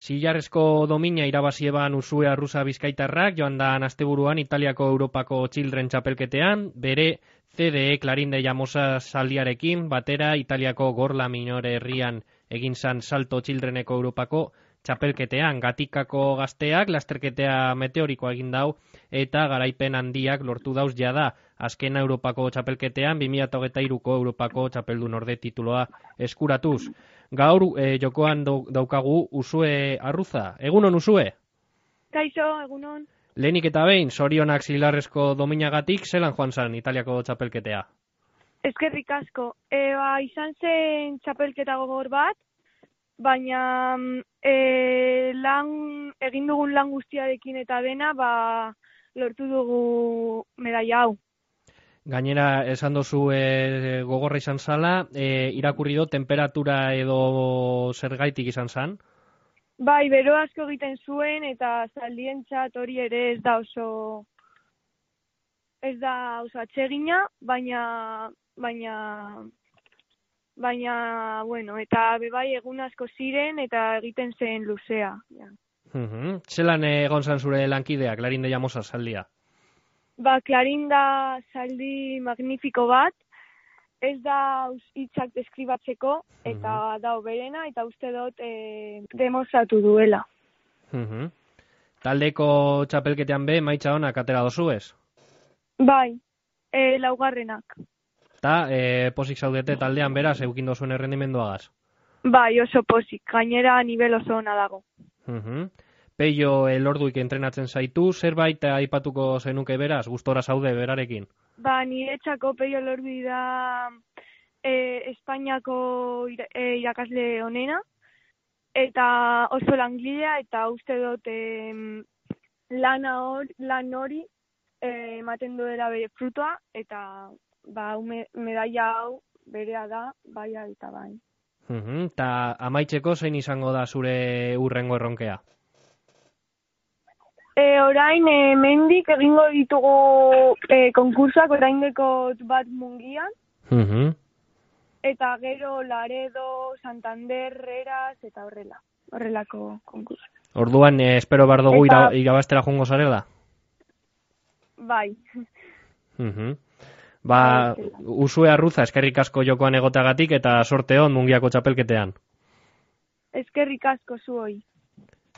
Zilarrezko domina irabazi eban Usue Arruza bizkaitarrak, joan da asteburuan Italiako Europako Children txapelketean, bere CDE Clarinde Llamosa zaldiarekin, batera Italiako Gorla Minore herrian egin zan Salto Childreneko Europako txapelketean. Gatikako gazteak lasterketea meteorikoa egin dau eta garaipen handiak lortu dauz jada. Azkena Europako txapelketean 2023ko Europako txapeldun orde tituloa eskuratuz. Gaur jokoan daukagu Usue Arruza. Egunon, Usue? Kaixo, egunon. Lehenik eta behin, zorionak Zilarrezko dominagatik, zelan joan zan Italiako txapelketea? Eskerrik asko. Izan zen txapelketa gogor bat, baina egin dugun lan guztiarekin eta dena, lortu dugu medaia hau. Gainera, esan dozu gogorra izan zala, irakurri do, temperatura edo zergaitik izan zan? Bai, bero asko egiten zuen eta zaldientzat hori ere ez da oso atsegina, baina, bueno, eta bebai egun asko ziren eta egiten zen luzea. Ja. Zelan egon zan zure lankideak, Clarinde Llamosa zaldia? Clarinda zaldi magnifiko bat, ez da hitzak deskribatzeko, eta da berena, eta uste dut demostratu duela. Taldeko txapelketean be, maitza honak atera dozu ez? Bai, laugarrenak. Ta, posik zaudete taldean beraz, eukin dozuen errendimenduagaz? Bai, oso posik, gainera nivel oso ona dago. Peio elorduik entrenatzen zaitu, zerbait aipatuko zenuke beraz, gustora zaude berarekin? Niretzako Peio Elordu da Espainiako irakasle onena, eta oso langilea, eta uste dut lan hori ematen duela bere frutoa, eta medaia hau berea da, bai eta bai. Ta amaitzeko zein izango da zure hurrengo erronkea? Orain, mendik egingo ditugu konkursak, oraindeko bat Mungian, eta gero Laredo, Santander, Eras, eta horrelako konkursak. Orduan, espero bar dugu irabaztera joango zarela? Bai. Usue Arruza, eskerrik asko jokoan egotagatik eta sorte hon Mungiako txapelketean. Eskerrik asko zuoi.